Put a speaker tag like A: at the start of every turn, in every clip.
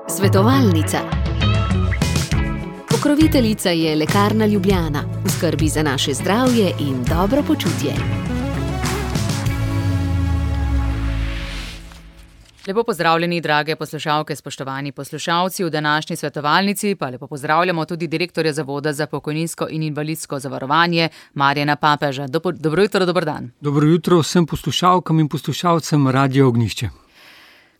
A: Svetovalnica. Pokroviteljica je Lekarna Ljubljana, v skrbi za naše zdravje in dobro počutje.
B: Lepo pozdravljeni, drage poslušalke, spoštovani poslušalci. V današnji svetovalnici pa lepo pozdravljamo tudi direktorja Zavoda za pokojninsko in invalidsko zavarovanje Marjana Papeža. Dobro jutro, dober dan.
C: Dobro jutro vsem poslušalkam in poslušalcem Radia Ognjišče.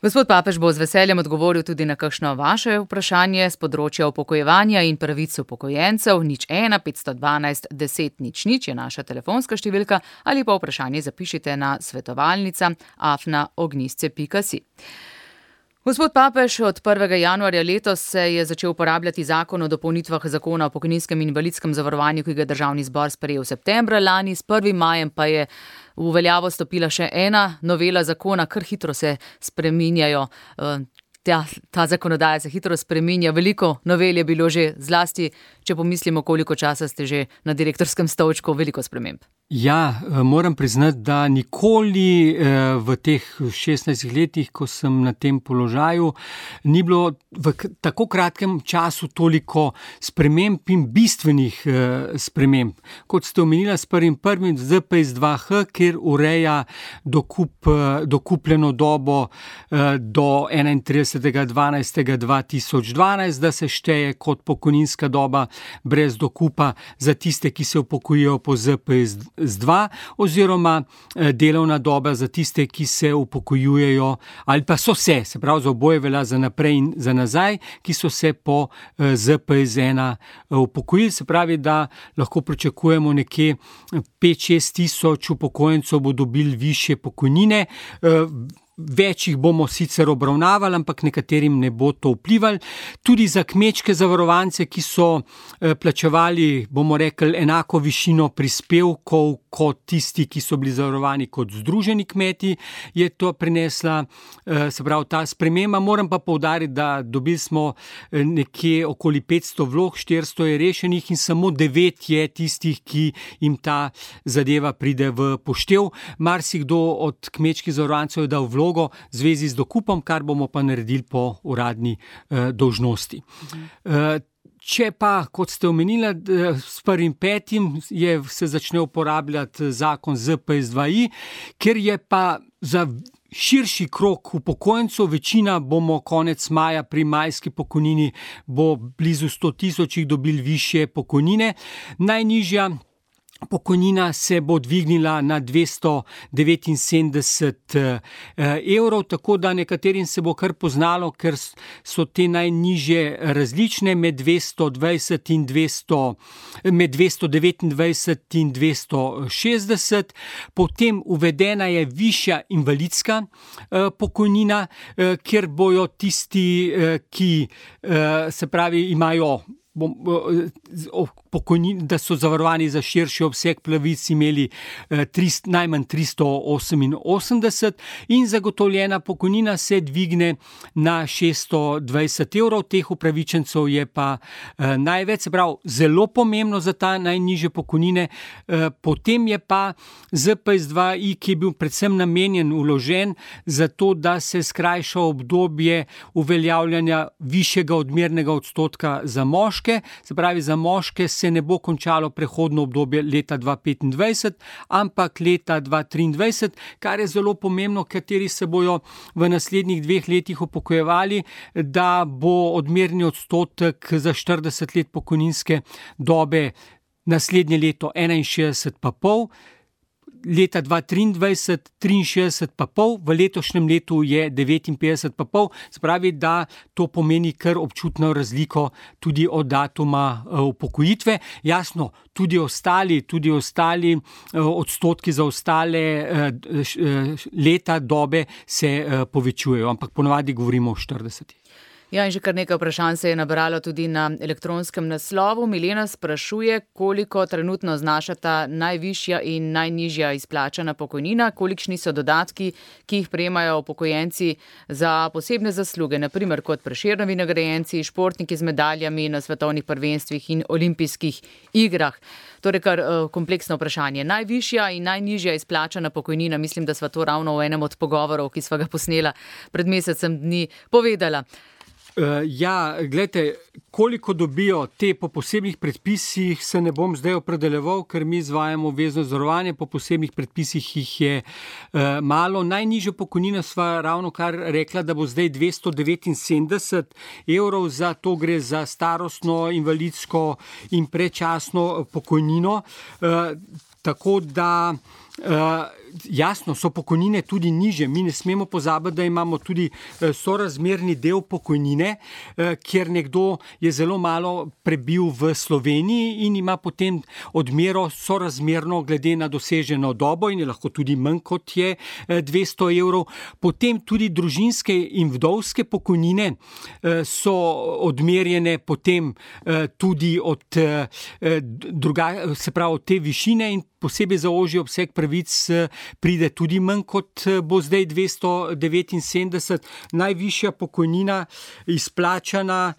B: Gospod Papež bo z veseljem odgovoril tudi na kakšno vaše vprašanje z področja upokojevanja in pravic upokojencev. 01 512 10 00 je naša telefonska številka ali pa vprašanje zapišite na svetovalnica@ognjisce.si. Gospod Papež, od 1. januarja letos se je začel uporabljati zakon o dopolnitvah zakona o pokojninskem in invalidskem zavarovanju, ki ga je Državni zbor sprejel septembra lani, s 1. majem pa je v veljavo stopila še ena novela zakona, kar hitro se spreminjajo. Ta zakonodaja se hitro spreminja, veliko novel je bilo že, zlasti, če pomislimo, koliko časa ste že na direktorskem stolčku, veliko sprememb.
C: Ja, moram priznati, da nikoli v teh 16 letih, ko sem na tem položaju, ni bilo v tako kratkem času toliko sprememb in bistvenih sprememb. Kot ste omenila, s 1.1. ZPS-2H, kjer ureja dokupljeno dobo do 31.12.2012, da se šteje kot pokojninska doba brez dokupa za tiste, ki se upokojijo po ZPS-2, oziroma delovna doba za tiste, ki se upokojujejo ali pa so se pravi za oboje velja za naprej in za nazaj, ki so se po ZPS-1 upokojili, se pravi, da lahko pričakujemo nekje 5-6 tisoč upokojencev bo dobili višje pokojnine. Več jih bomo sicer obravnavali, ampak nekaterim ne bo to vplivalo. Tudi za kmečke zavarovance, ki so plačevali, bomo rekli, enako višino prispevkov kot tisti, ki so bili zavarovani kot združeni kmeti, je to prinesla, se pravi, ta sprememba. Moram pa poudariti, da dobili smo nekje okoli 500 vlog, 400 je rešenih in samo 9 je tistih, ki jim ta zadeva pride v poštev. Marsikdo od kmečkih zavarovancev je dal vlog v zvezi z dokupom, kar bomo pa naredili po uradni dolžnosti. Če pa, kot ste omenili, s 1.5. se začne uporabljati zakon ZPS-2I, ker je pa za širši krog upokojencev, večina bomo konec maja pri majski pokojnini, bo blizu 100 tisoč dobili višje pokojnine. Najnižja pokojnina se bo dvignila na 279 evrov, tako da nekaterim se bo kar poznalo, ker so te najnižje različne med 220 in 200, med 229 in 260. Potem uvedena je višja invalidska pokojnina, kjer bojo tisti, ki se pravi imajo pokojnin, da so zavarovani za širši obseg pravic, imeli najmanj 388 in zagotovljena pokojnina se dvigne na 620 evrov. Teh upravičencev je pa največ, se pravi, zelo pomembno za ta najnižje pokojnine. Potem je pa ZPS-2I, ki je bil predvsem namenjen, vložen za to, da se skrajša obdobje uveljavljanja višjega odmernega odstotka za moške. Se pravi, za moške se ne bo končalo prehodno obdobje leta 2025, ampak leta 2023, kar je zelo pomembno, kateri se bojo v naslednjih 2 letih upokojevali, da bo odmerni odstotek za 40 let pokojninske dobe naslednje leto 61,5, leta 2023 63,5, v letošnjem letu je 59,5, se pravi, da to pomeni kar občutno razliko tudi od datuma upokojitve. Jasno, tudi ostali odstotki za ostale leta dobe se povečujejo, ampak ponavadi govorimo o 40.
B: Ja, in že kar nekaj vprašanj se je nabralo tudi na elektronskem naslovu. Milena sprašuje, koliko trenutno znašata najvišja in najnižja izplačana pokojnina, kolikšni so dodatki, ki jih prejemajo upokojenci za posebne zasluge, naprimer kot Prešernovi nagrajenci, športniki z medaljami na svetovnih prvenstvih in olimpijskih igrah. Torej kar kompleksno vprašanje. Najvišja in najnižja izplačana pokojnina, mislim, da sva to ravno v enem od pogovorov, ki sva ga posnela pred mesecem dni, povedala.
C: Ja, gledajte, koliko dobijo te po posebnih predpisih, se ne bom zdaj opredeljeval, ker mi izvajamo obvezno zavarovanje, po posebnih predpisih jih je malo. Najnižjo pokojnino sva ravno kar rekla, da bo zdaj 279 evrov, za to gre za starostno, invalidsko in predčasno pokojnino. Tako da jasno, so pokojnine tudi nižje. Mi ne smemo pozabiti, da imamo tudi sorazmerni del pokojnine, kjer nekdo je zelo malo prebil v Sloveniji in ima potem odmero sorazmerno glede na doseženo dobo in je lahko tudi manj kot je 200 evrov. Potem tudi družinske in vdovske pokojnine so odmerjene potem tudi od se pravi od te višine in posebej za ožji obseg pravic pride tudi manj kot bo zdaj 279. Najvišja pokojnina izplačana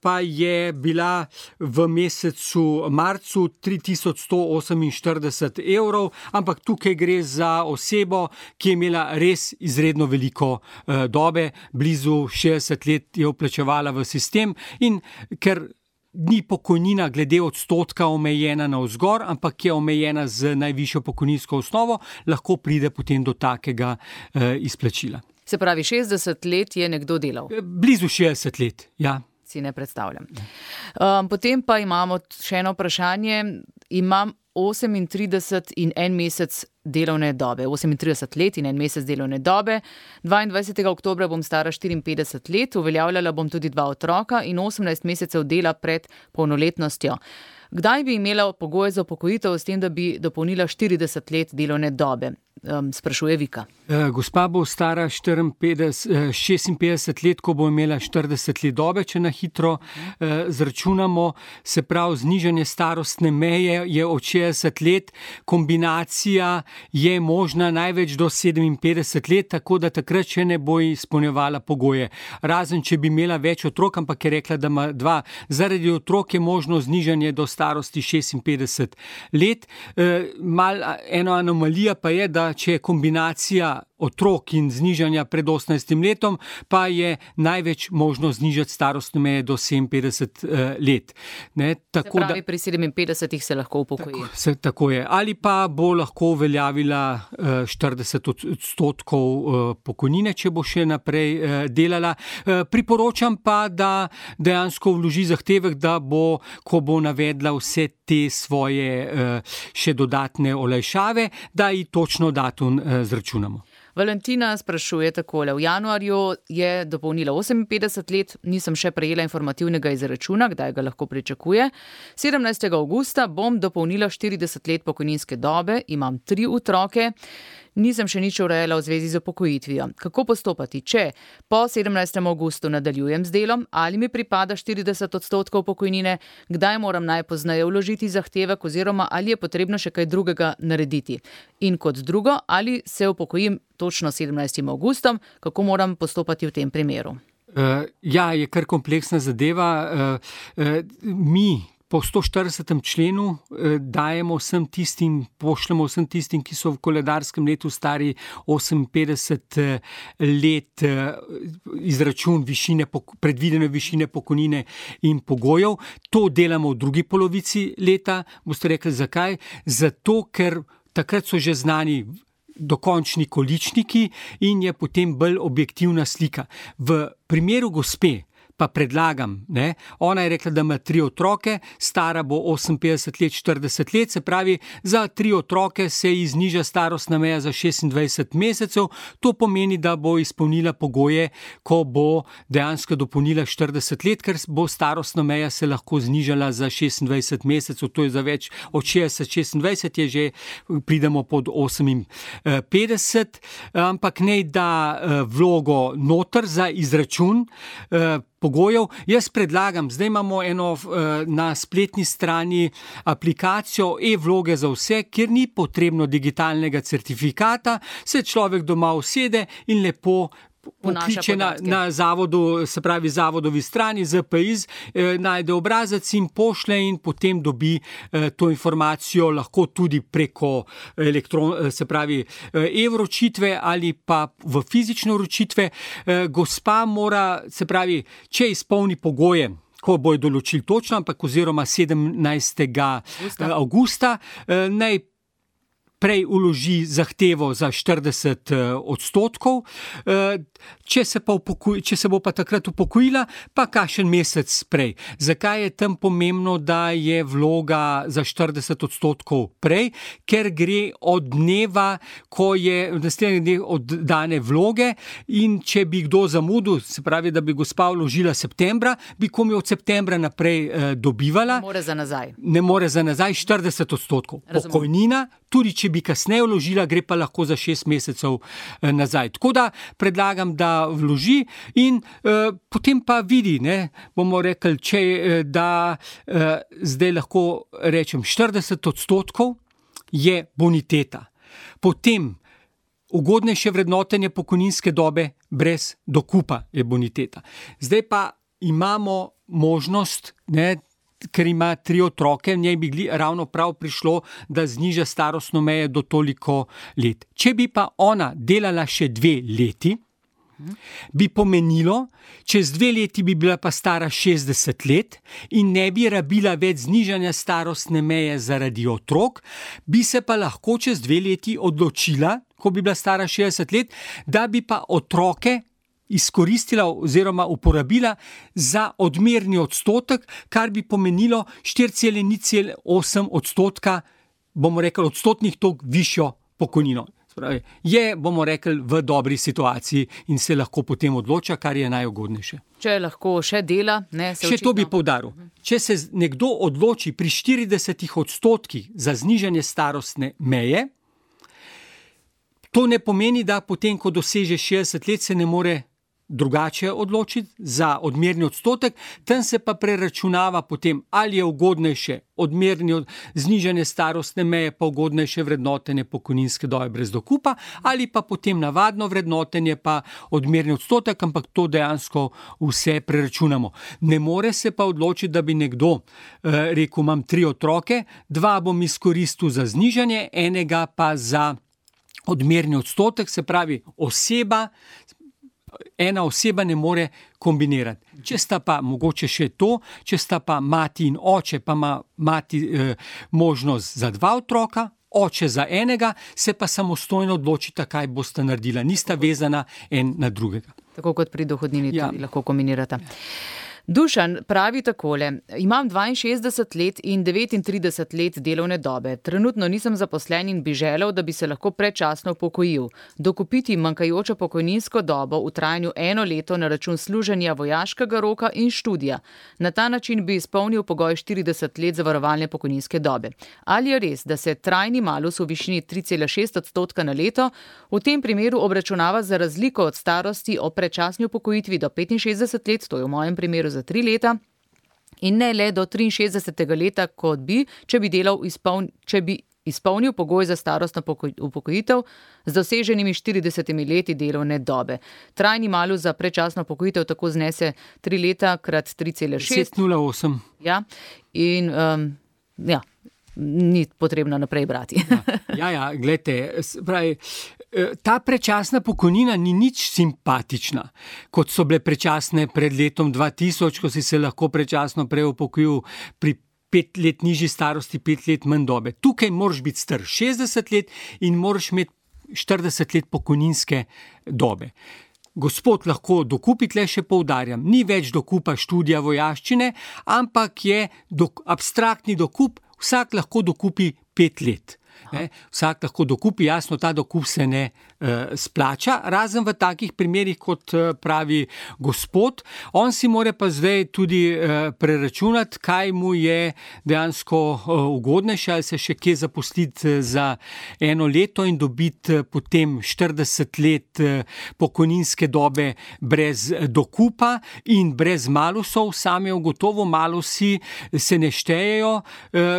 C: pa je bila v mesecu marcu 3148 evrov, ampak tukaj gre za osebo, ki je imela res izredno veliko dobe, blizu 60 let je vplačevala v sistem in ker ni pokojnina glede odstotka omejena navzgor, ampak je omejena z najvišjo pokojninsko osnovo, lahko pride potem do takega izplačila.
B: Se pravi, 60 let je nekdo delal?
C: Blizu 60 let, ja.
B: Si ne predstavljam. Potem pa imamo še eno vprašanje. Imam 38 in en mesec delovne dobe. 38 let in en mesec delovne dobe. 22. oktobra bom stara 54 let, uveljavljala bom tudi 2 otroka in 18 mesecev dela pred polnoletnostjo. Kdaj bi imela pogoje za upokojitev s tem, da bi dopolnila 40 let delovne dobe? Sprašuje Vika.
C: Gospa bo stara 56 let, ko bo imela 40 let dobe, če na hitro zračunamo. Se pravi, znižanje starostne meje je od 60 let, kombinacija je možna največ do 57 let, tako da takrat še ne bo izpolnjevala pogoje. Razen, če bi imela več otrok, ampak je rekla, da ima 2. Zaradi otrok je možno znižanje do starosti 56 let. Eno anomalija pa je, da če je kombinacija otrok in znižanja pred 18 letom, pa je največ možno znižati starostne meje do 57 let. Ne, tako
B: se pravi, pri 57 se lahko upokoji.
C: Tako je. Ali pa bo lahko uveljavila 40% pokojnine, če bo še naprej delala. Priporočam pa, da dejansko vloži zahtevek, da bo, ko bo navedla vse te svoje še dodatne olajšave, da ji točno datum zračunamo.
B: Valentina sprašuje takole. V januarju je dopolnila 58 let, nisem še prejela informativnega izračuna, kdaj ga lahko pričakuje. 17. avgusta bom dopolnila 40 let pokojninske dobe, imam 3 otroke. Nisem še nič urejala v zvezi z upokojitvijo. Kako postopati, če po 17. avgustu nadaljujem z delom, ali mi pripada 40% pokojnine, kdaj moram najpozneje vložiti zahtevek oziroma ali je potrebno še kaj drugega narediti. In kot drugo, ali se upokojim točno 17. avgustom, kako moram postopati v tem primeru?
C: Ja, je kar kompleksna zadeva. Mi po 140. členu dajemo vsem tistim, pošljemo vsem tistim, ki so v koledarskem letu stari 58 let, izračun predvidene višine pokojnine in pogojev. To delamo v drugi polovici leta. Boste rekli, zakaj? Zato, ker takrat so že znani dokončni količniki in je potem bolj objektivna slika. V primeru gospe pa predlagam, ne, ona je rekla, da ima 3 otroke, stara bo 58 let, 40 let, se pravi, za 3 otroke se ji zniža starostna meja za 26 mesecev, to pomeni, da bo izpolnila pogoje, ko bo dejansko dopolnila 40 let, ker bo starostna meja se lahko znižala za 26 mesecev, to je za več od 60-26, je že, pridemo pod 58, ampak ne da vlogo noter za izračun, pogojev. Jaz predlagam, zdaj imamo na spletni strani aplikacijo e-vloge za vse, kjer ni potrebno digitalnega certifikata, se človek doma usede in lepo vkliče na zavodu, se pravi zavodovi strani ZPIZ, najde obrazec in pošle in potem dobi to informacijo lahko tudi preko se pravi e-vročitve ali pa v fizične vročitve. Gospa mora, se pravi, če izpolni pogoje, ko bojo določili točno, ampak oziroma 17. avgusta, naj prej vloži zahtevo za 40%, če se bo pa takrat upokojila, pa kakšen mesec prej. Zakaj je tam pomembno, da je vloga za 40% prej? Ker gre od dneva, ko je naslednji dnev oddane vloge, in če bi kdo zamudil, se pravi, da bi gospa vložila septembra, bi komaj od septembra naprej dobivala. Ne more za nazaj 40%. Pokojnina, tudi če bi kasneje vložila, gre pa lahko za 6 mesecev nazaj. Tako da predlagam, da vloži in potem pa vidi, bomo rekli, da zdaj lahko rečem 40% je boniteta. Potem ugodnejše vrednotenje pokojninske dobe brez dokupa je boniteta. Zdaj pa imamo možnost, ker ima 3 otroke, njej bi ravno prav prišlo, da zniža starostno mejo do toliko let. Če bi pa ona delala še 2 leti, bi pomenilo, čez 2 leti bi bila pa stara 60 let in ne bi rabila več znižanja starostne meje zaradi otrok, bi se pa lahko čez 2 leti odločila, ko bi bila stara 60 let, da bi pa otroke izkoristila oziroma uporabila za odmerni odstotek, kar bi pomenilo 4,08%, bomo rekli, odstotnih tok višjo pokojnino. Je, bomo rekli, v dobri situaciji in se lahko potem odloča, kar je najugodnejše.
B: Če lahko še dela,
C: Še to bi poudaril. Če se nekdo odloči pri 40% za znižanje starostne meje, to ne pomeni, da potem, ko doseže 60 let, se ne more drugače odločiti za odmerni odstotek, tam se pa preračunava potem, ali je ugodnejše znižanje starostne meje, pa ugodnejše vrednotenje pokojninske dobe brez dokupa, ali pa potem navadno vrednotenje pa odmerni odstotek, ampak to dejansko vse preračunamo. Ne more se pa odločiti, da bi nekdo rekel, imam 3 otroke, 2 bom izkoristil za znižanje, enega pa za odmerni odstotek, se pravi ena oseba ne more kombinirati. Če sta pa mogoče še to, če sta pa mati in oče, pa ima mati možnost za 2 otroka, oče za enega, se pa samostojno odločita, kaj bosta naredila. Nista vezana en na drugega.
B: Tako kot pri dohodnini tudi lahko kombinirata. Dušan pravi takole: imam 62 let in 39 let delovne dobe. Trenutno nisem zaposlen in bi želel, da bi se lahko predčasno upokojil. Dokupiti manjkajočo pokojninsko dobo v trajanju 1 leto na račun služenja vojaškega roka in študija. Na ta način bi izpolnil pogoj 40 let zavarovalne pokojninske dobe. Ali je res, da se trajni malus v višini 3,6% na leto v tem primeru obračunava za razliko od starosti o predčasni upokojitvi do 65 let, to je v mojem primeru za 3 leta, in ne le do 63. leta, kot bi, če bi izpolnil pogoj za starostno upokojitev z doseženimi 40 leti delovne dobe. Trajni malus za predčasno upokojitev tako znese 3 leta krat 3,6.
C: 10,08.
B: Ja, in ni potrebno naprej brati.
C: Glejte, ta predčasna pokojnina ni nič simpatična, kot so bile predčasne pred letom 2000, ko si se lahko predčasno prej upokojil pri 5 let nižji starosti, 5 let manj dobe. Tukaj moraš biti star 60 let in moraš imeti 40 let pokojninske dobe. Gospod lahko dokupi, tle še poudarjam, ni več dokupa študija vojaščine, ampak je abstraktni dokup, vsak lahko dokupi 5 let. Vsak lahko dokupi, jasno, ta dokup se ne splača, razen v takih primerih, kot pravi gospod. On si mora pa zdaj tudi preračunati, kaj mu je dejansko ugodnejše, ali se še kje zaposliti za 1 leto in dobiti potem 40 let pokojninske dobe brez dokupa in brez malusov. Sam je ugotovil, malusi se ne štejejo,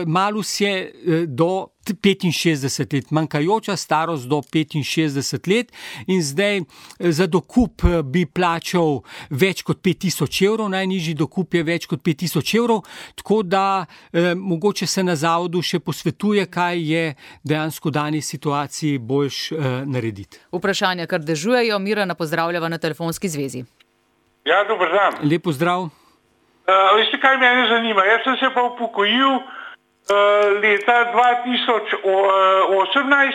C: malus je do 65 let, manjkajoča starost do 65 let in zdaj za dokup bi plačal več kot 5000 evrov, najnižji dokup je več kot 5000 evrov, tako da mogoče se na zavodu še posvetuje, kaj je dejansko v dani situaciji boljš narediti.
B: Vprašanja, kar dežujejo, Mirana pozdravljava na telefonski zvezi.
D: Ja, dober dan.
C: Lep pozdrav.
D: Veste, kaj mene zanima? Jaz sem se pa upokojil leta 2018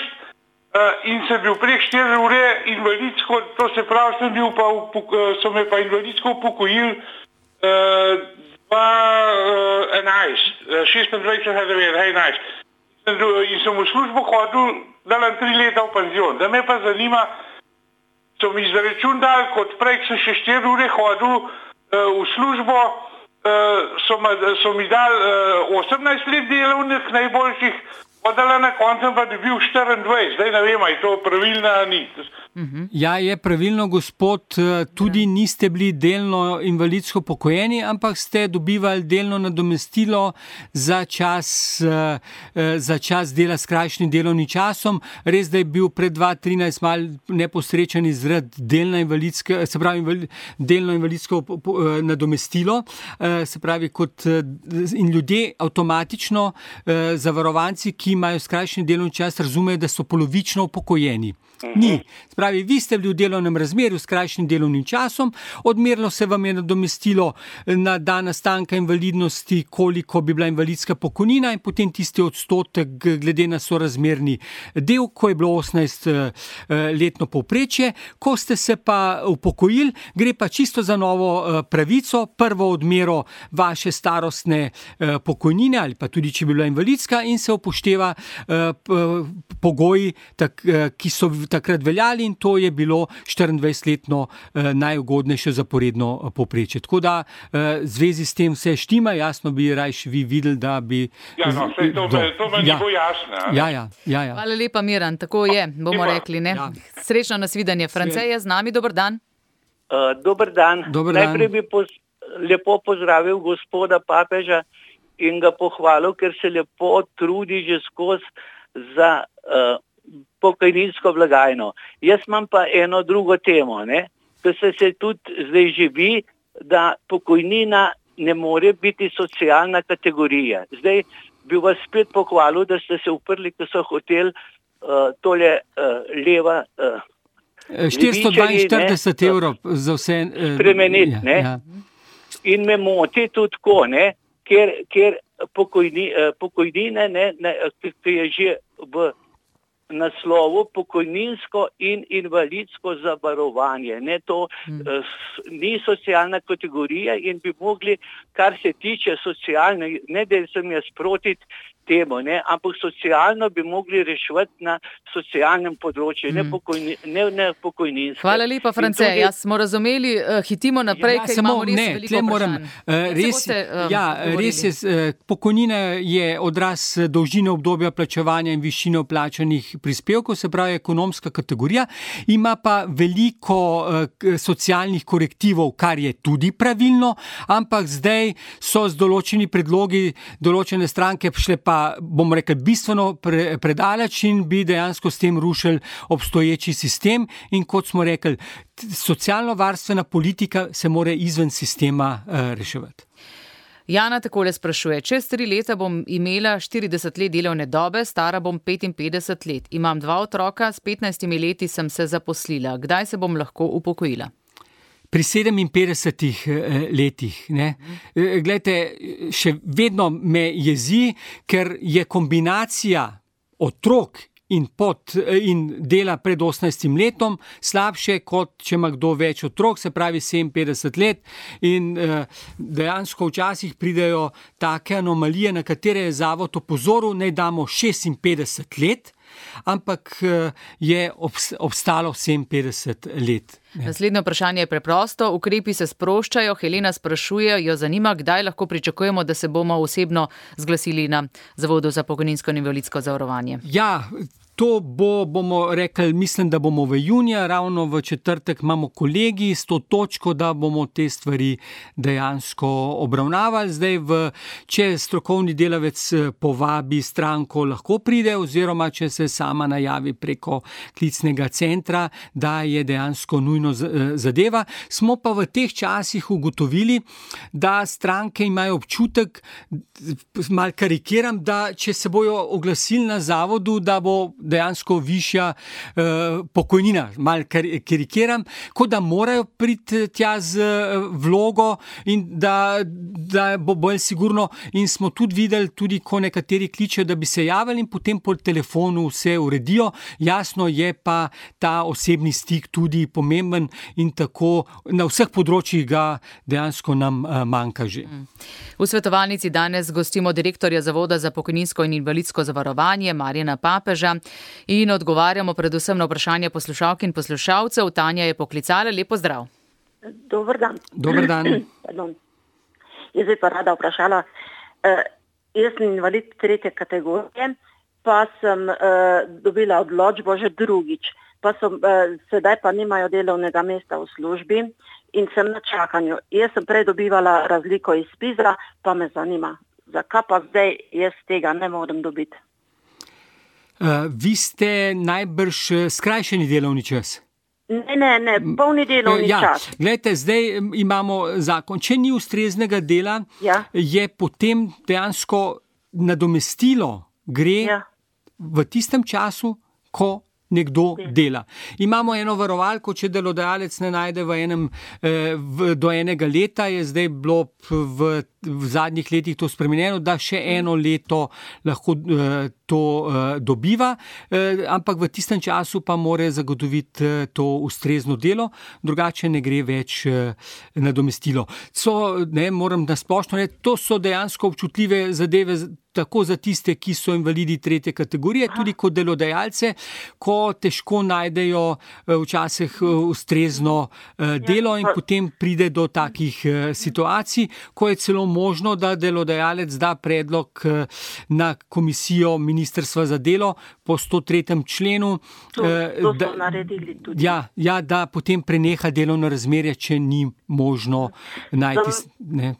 D: in sem bil prek 4 ure invalidsko, to se pravi, so me pa invalidsko upokojili 26. In sem v službo hodil, dalam 3 leta v penzion. Da me pa zanima, so mi izračun dali, kot prej sem še 4 ure hodil v službo, so mi dali 18 let delovnih najboljših, odala na koncu pa dobil 24. Zdaj ne vem, je to pravilno ali ni.
C: Ja, je pravilno, gospod, tudi niste bili delno invalidsko pokojeni, ampak ste dobivali delno nadomestilo za čas dela s krajšnim delovnim časom. Res, da je bil pred 2013 mal neposrečen izred delno invalidsko nadomestilo, se pravi, kot in ljudje avtomatično, zavarovanci, ki imajo skrajšen delovni čas, razumejo, da so polovično upokojeni. Ni. Spravi, vi ste bili v delovnem razmerju s krajšnim delovnim časom, odmerilo se vam je nadomestilo na dan nastanka invalidnosti, koliko bi bila invalidska pokojnina in potem tisti odstotek glede na sorazmerni del, ko je bilo 18 letno povprečje. Ko ste se pa upokojili, gre pa čisto za novo pravico, prvo odmero vaše starostne pokojnine ali pa tudi, če bi bila invalidska, in se upošteva pogoji, ki so takrat veljali, in to je bilo 24-letno najugodnejše zaporedno povprečje. Tako da zvezi s tem vse štima, jasno bi rajš vi videli, da bi...
D: Ja, no, to meni bo jasno.
C: Ja.
B: Hvala lepa, Miran, tako je, bomo rekli, ne? Ja. Srečno nasvidenje. France je z nami, dober dan.
E: Dober dan. Najprej bi lepo pozdravil gospoda Papeža in ga pohvalil, ker se lepo trudi že skozi za pokojninsko blagajno. Jaz imam pa eno drugo temo, da se tudi zdaj živi, da pokojnina ne more biti socialna kategorija. Zdaj bi vas spet pohvalil, da ste se uprli, ko so hoteli tole leva
C: 442 evrov za vse
E: spremeniti. In me moti tudi tako, ker pokojnine, ki je že v naslovu pokojninsko in invalidsko zavarovanje. To ni socialna kategorija in bi mogli, kar se tiče socialne, ne da sem jaz proti temu, ampak socialno bi mogli reševati na socialnem področju, ne pokojninsko.
B: Hvala lepa, France. Jaz smo razumeli, hitimo naprej, ker imamo res veliko vprašanj.
C: Res je, pokojnina je odraz dolžine obdobja plačevanja in višine vplačanih prispevkov, se pravi ekonomska kategorija, ima pa veliko socialnih korektivov, kar je tudi pravilno, ampak zdaj so z določeni predlogi določene stranke šle pa, bomo rekli, bistveno predaleč in bi dejansko s tem rušili obstoječi sistem. In kot smo rekli, socialno-varstvena politika se mora izven sistema reševati.
B: Jana takole sprašuje, čez 3 leta bom imela 40 let delovne dobe, stara bom 55 let. Imam 2 otroka, s 15 leti sem se zaposlila. Kdaj se bom lahko upokojila?
C: Pri 57 letih. Glejte, še vedno me jezi, ker je kombinacija otrok in dela pred 18 letom, slabše kot če ima kdo več otrok, se pravi 57 let in dejansko včasih pridejo take anomalije, na katere je zavod opozoril, naj damo 56 let, ampak je obstalo 57 let.
B: Naslednje vprašanje je preprosto. Ukrepi se sproščajo. Helena sprašuje, jo zanima, kdaj lahko pričakujemo, da se bomo osebno zglasili na Zavodu za pokojninsko in invalidsko zavarovanje.
C: Ja, to bomo rekli, mislim, da bomo v juniju, ravno v četrtek imamo kolegij s to točko, da bomo te stvari dejansko obravnavali. Zdaj, če strokovni delavec povabi stranko, lahko pride, oziroma če se sama najavi preko klicnega centra, da je dejansko nujno zadeva. Smo pa v teh časih ugotovili, da stranke imajo občutek, malo karikiram, da če se bojo oglasili na zavodu, da bo dejansko višja pokojnina, malo karikiram, kot da morajo priti tja z vlogo in da bo bolj sigurno. In smo tudi videli, tudi ko nekateri kličejo, da bi se javili in potem po telefonu vse uredijo. Jasno je pa ta osebni stik tudi pomemben in tako na vseh področjih ga dejansko nam manjka že.
B: V svetovalnici danes gostimo direktorja Zavoda za pokojninsko in invalidsko zavarovanje Marjana Papeža in odgovarjamo predvsem na vprašanje poslušalk in poslušalcev. Tanja je poklicala. Lep pozdrav.
F: Dober dan.
C: Dober dan.
F: Jaz bi pa rada vprašala, jaz sem invalid 3. kategorije, pa sem dobila odločbo že drugič, pa sedaj pa nimajo delovnega mesta v službi in sem na čakanju. Jaz sem prej dobivala razliko iz PIZ-a, pa me zanima, zakaj pa zdaj jaz tega ne morem dobiti.
C: Vi ste najbrž skrajšani delovni čas?
F: Ne, polni delovni čas.
C: Glejte, zdaj imamo zakon. Če ni ustreznega dela, je potem dejansko nadomestilo gre v tistem času, ko nekdo dela. Imamo eno varovalko, če delodajalec ne najde do enega leta, je zdaj bilo v zadnjih letih to spremenjeno, da še eno leto lahko to dobiva, ampak v tistem času pa mora zagotoviti to ustrezno delo, drugače ne gre več nadomestilo. Moram nasplošno reči, to so dejansko občutljive zadeve tako za tiste, ki so invalidi 3. kategorije, tudi kot delodajalce, ko težko najdejo včasih ustrezno delo in potem pride do takih situacij, ko je celo možno, da delodajalec da predlog na komisijo Ministrstva za delo po 103. členu.
F: To so naredili tudi.
C: Da potem preneha delovno razmerje, če ni možno najti.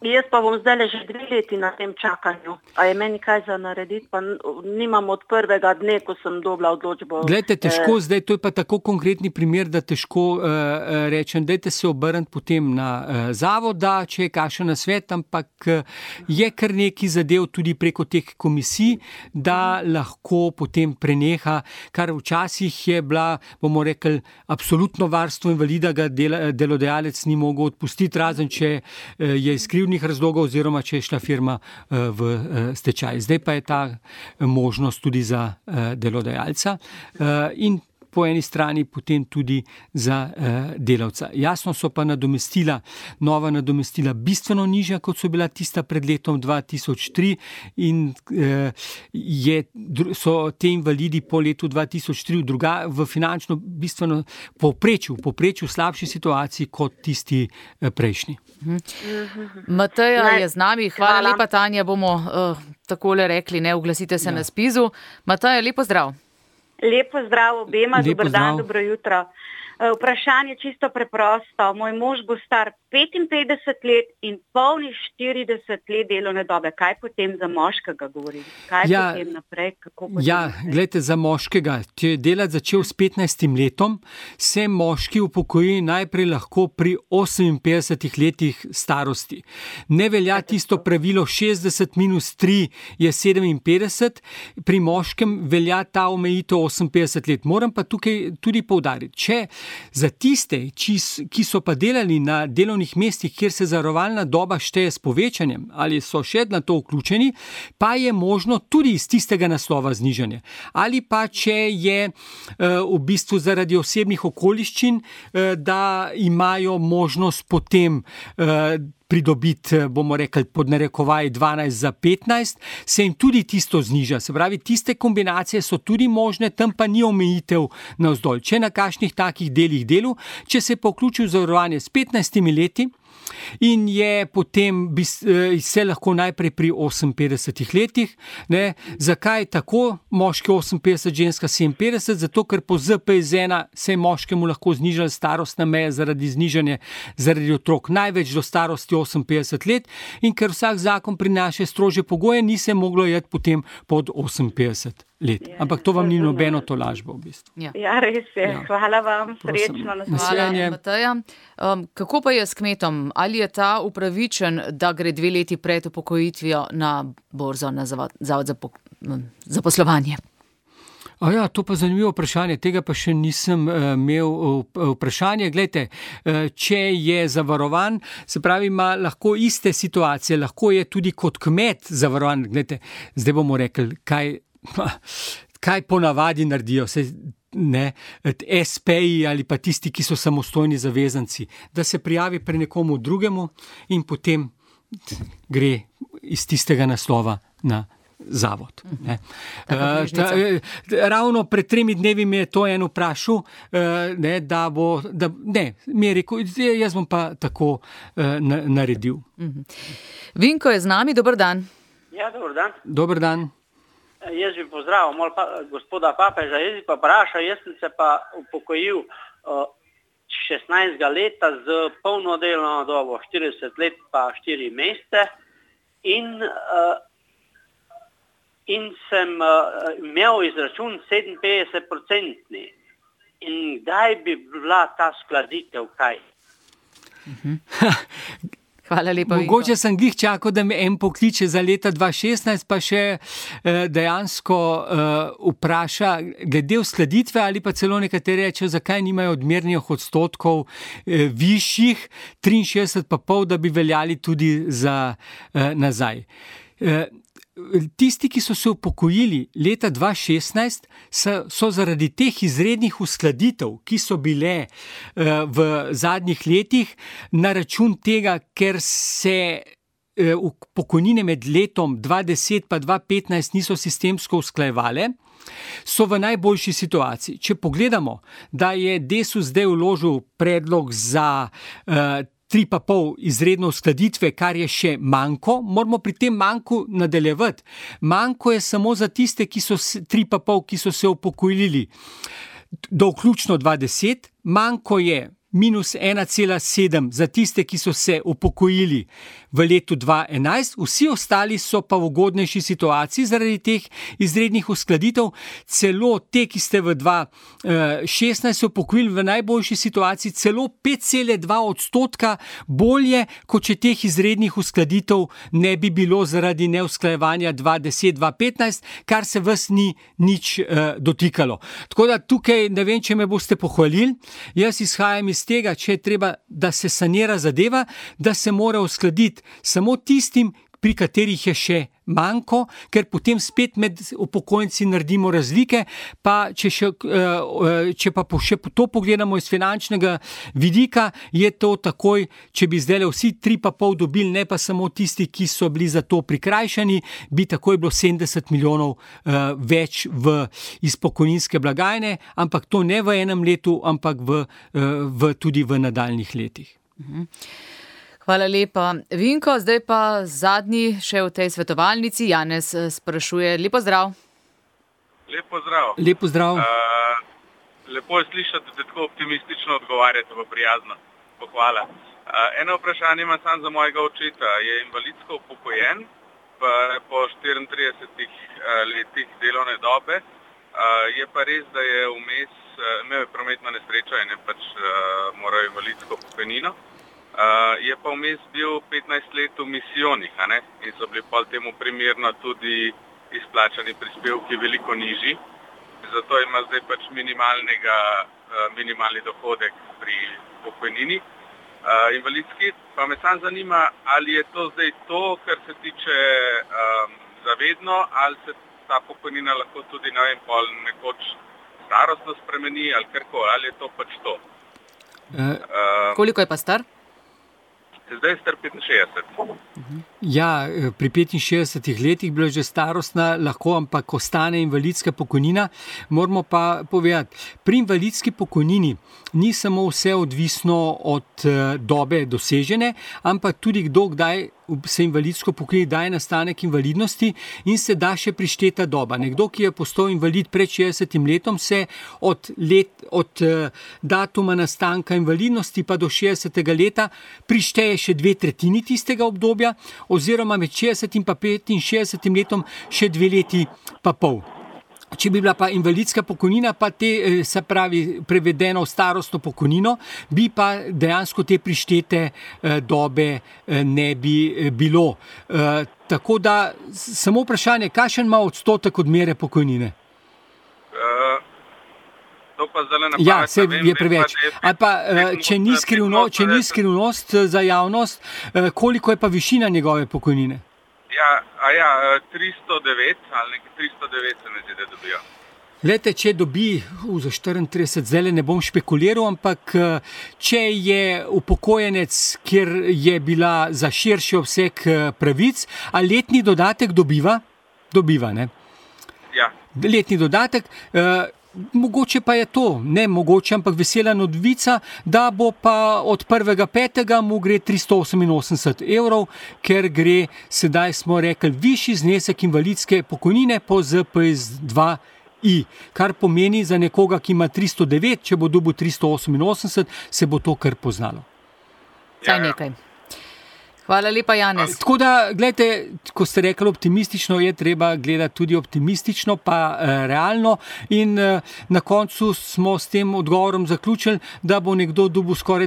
F: Jaz pa bom zdaj že 2 leti na tem čakanju. A je meni kaj za narediti, pa nimam od prvega dne, ko sem dobila odločbo.
C: Glejte, težko zdaj, to je pa tako konkretni primer, da težko rečem, dajte se obrniti potem na zavod, da če je kakšen nasvet, ampak je kar nekaj zadev tudi preko teh komisij, da lahko potem preneha, kar včasih je bila, bomo rekli, absolutno varstvo invalida, ga delodajalec ni mogel odpustiti, razen če je iz krivdnih razlogov oziroma če je šla firma v stečaj. Zdaj pa je ta možnost tudi za delodajalca in po eni strani potem tudi za delavca. Jasno so pa nova nadomestila bistveno nižja, kot so bila tista pred letom 2003 in so te invalidi po letu 2003 v finančno bistveno povprečju slabši situaciji kot tisti prejšnji.
B: Mateja je z nami. Hvala lepa, Tanja, bomo takole rekli, oglasite se na SPIZ-u. Mateja, lepo zdrav.
F: Lepo zdrav obema, dober dan, dobro jutro. Vprašanje čisto preprosto. Moj mož bo star 55 let in polni 40 let delovne dobe. Kaj potem za moškega govorim? Potem naprej?
C: Glejte, za moškega, če je delati začel s 15 letom, se moški upokoji najprej lahko pri 58 letih starosti. Ne velja tisto pravilo 60 minus 3 je 57, pri moškem velja ta omejitev 58 let. Moram pa tukaj tudi poudariti, če Za tiste, ki so pa delali na delovnih mestih, kjer se zavarovalna doba šteje s povečanjem ali so še na to vključeni, pa je možno tudi iz tistega naslova znižanje. Ali pa če je v bistvu zaradi osebnih okoliščin, da imajo možnost potem pridobiti, bomo rekli, pod narekovaj 12 za 15, se jim tudi tisto zniža. Se pravi, tiste kombinacije so tudi možne, tam pa ni omejitev navzdolj. Če na kakšnih takih delih delu, če se pa vključi v zavarovanje s 15 leti, in je potem se lahko najprej pri 58 letih. Ne? Zakaj tako? Moški 58, ženska 57, zato ker po ZPIZ-1 se je moškemu lahko znižala starostna meja zaradi otrok največ do starosti 58 let in ker vsak zakon prinaša strožje pogoje, ni se moglo iti potem pod 58 let. Ampak to vam ni nobeno tolažbo v bistvu.
F: Ja, res je. Ja. Hvala vam, srečno
B: naslednje. Mateja, kako pa je s kmetom? Ali je ta upravičen, da gre 2 leti pred upokojitvijo na borzo, na zavod za poslovanje?
C: Ja, to pa zanimivo vprašanje, tega pa še nisem imel vprašanje. Glejte, če je zavarovan, se pravi, ima lahko iste situacije, lahko je tudi kot kmet zavarovan. Glejte, zdaj bomo rekli, kaj ponavadi naredijo, SP-ji ali pa tisti, ki so samostojni zavezanci, da se prijavi pri nekomu drugemu in potem gre iz tistega naslova na zavod. Ravno pred 3 dnevi me je to en vprašal, mi je rekel, jaz bom pa tako naredil.
B: Vinko je z nami, dober dan.
E: Ja, dober dan.
C: Dober dan.
E: Jaz bi pozdravil gospoda papeža, jaz bi pa vprašal, jaz sem se pa upokojil 16 leta z polno delovno dobo, 40 let pa 4 mesece in sem imel izračun 57%. In kdaj bi bila ta skladitev, kaj?
B: Hvala lepa,
C: mogoče sem glih čakal, da me en pokliče za leta 2016, pa še dejansko vpraša glede uskladitve ali pa celo nekateri rečejo, zakaj nimajo odmernih odstotkov višjih, 63,5, da bi veljali tudi za nazaj. Tisti, ki so se upokojili leta 2016, so zaradi teh izrednih uskladitev, ki so bile v zadnjih letih, na račun tega, ker se pokojnine med letom 2010 pa 2015 niso sistemsko usklajevale, so v najboljši situaciji. Če pogledamo, da je Desus zdaj vložil predlog za 3,5 izredno uskladitve, kar je še manko, moramo pri tem manku nadaljevati. Manko je samo za tiste, ki so 3,5, ki so se upokojili do vključno 2010, manko je minus 1,7 za tiste, ki so se upokojili v letu 2011, vsi ostali so pa v ugodnejši situaciji zaradi teh izrednih uskladitev, celo te, ki ste v 2016 se upokojili v najboljši situaciji, celo 5,2% bolje, kot če teh izrednih uskladitev ne bi bilo zaradi neusklajevanja 2010-2015, kar se vas ni nič dotikalo. Tako da tukaj ne vem, če me boste pohvalili, jaz izhajam iz tega, če je treba, da se sanira zadeva, da se mora uskladiti samo tistim, pri katerih je še manko, ker potem spet med upokojenci naredimo razlike, pa če pa še to pogledamo iz finančnega vidika, je to takoj, če bi zdaj vsi 3,5 dobili, ne pa samo tisti, ki so bili za to prikrajšani, bi takoj bilo 70 milijonov več iz pokojninske blagajne, ampak to ne v enem letu, ampak tudi v nadaljnih letih.
B: Hvala lepa. Vinko, zdaj pa zadnji še v tej svetovalnici. Janez sprašuje. Lepo zdrav.
D: Lepo zdrav.
C: Lepo zdrav.
D: Lepo je slišati, da tako optimistično odgovarjate, pa prijazno. Pohvala. Eno vprašanje ima sam za mojega očeta. Je invalidsko upokojen, pa po 34 letih delovne dobe. Je pa res, da je vmes imel prometno nesrečo in je pač moral invalidsko pokojnino. Je pa vmes bil 15 let v misijonih, in so bili pol temu primerno tudi izplačani prispevki veliko nižji. Zato ima zdaj pač minimalnega
G: minimalni dohodek pri pokojnini invalidski. Pa me sam zanima, ali je to zdaj to, kar se tiče zavedno, ali se ta pokojnina lahko tudi, ne vem, pol nekoč starostno spremeni, ali karkoli, ali je to pač to.
B: Koliko je pa star?
G: Zdaj je star 65.
C: Ja, pri 65 letih bila že starostna, lahko, ampak ostane invalidska pokojnina. Moramo pa povedati, pri invalidski pokojnini ni samo vse odvisno od dobe dosežene, ampak tudi kdaj se invalidsko pokojni daje nastanek invalidnosti in se da še prišteta doba. Nekdo, ki je postal invalid pred 60 letom, se od datuma nastanka invalidnosti pa do 60. leta prišteje še 2/3 tistega obdobja, oziroma med 60 in pa 65 letom še 2 leti pa pol. Če bi bila pa invalidska pokojnina, pa te, se pravi, prevedeno v starostno pokojnino, bi pa dejansko te prištete dobe ne bi bilo. Tako da, samo vprašanje, kakšen ima odstotek odmere pokojnine?
G: To pa zdaj na pamet.
C: Ja, se je preveč. Ali pa, če ni skrivnost za javnost, koliko je pa višina njegove pokojnine?
G: Ja, 309 ali nekaj 309 se mi zdi, da dobijo.
C: Glejte, če dobi za 34, zdaj ne bom špekuliral, ampak če je upokojenec, kjer je bila za širši obseg pravic, a letni dodatek dobiva? Dobiva, ne?
G: Ja.
C: Letni dodatek, mogoče pa je to, ne mogoče, ampak vesela novica, da bo pa od 1.5. mu gre 388 evrov, ker gre, sedaj smo rekli, višji znesek invalidske pokojnine po ZPS2I, kar pomeni za nekoga, ki ima 309, če bo dobil 388, se bo to kar poznalo.
B: Saj nekaj. Hvala lepa, Janez.
C: Tako da, gledajte, ko ste rekli optimistično, je treba gledati tudi optimistično, pa realno, in na koncu smo s tem odgovorom zaključili, da bo nekdo dobil skoraj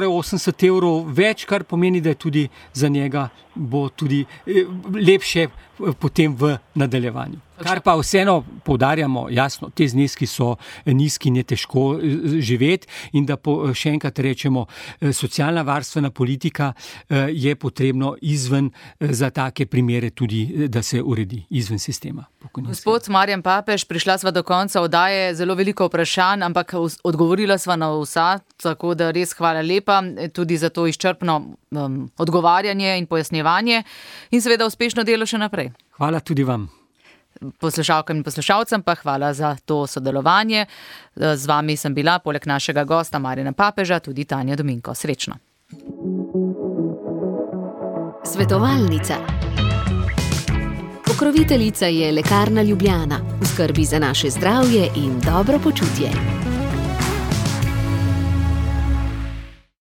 C: 80 evrov več, kar pomeni, da je tudi za njega bo tudi lepše potem v nadaljevanju. Kar pa vseeno poudarjamo, jasno, te zneski so nizki in je težko živeti, in da še enkrat rečemo, socialna varstvena politika je potrebno izven za take primere tudi, da se uredi izven sistema.
B: Gospod Marjan Papež, prišla sva do konca oddaje, zelo veliko vprašanj, ampak odgovorila sva na vsa, tako da res hvala lepa tudi za to izčrpno odgovarjanje in pojasnjevanje in seveda uspešno delo še naprej.
C: Hvala tudi vam.
B: Poslušalkam in poslušalcem pa hvala za to sodelovanje. Z vami sem bila, poleg našega gosta Marjana Papeža, tudi Tanja Dominko. Srečno.
A: Svetovalnica. Pokroviteljica je Lekarna Ljubljana, v skrbi za naše zdravje in dobro počutje.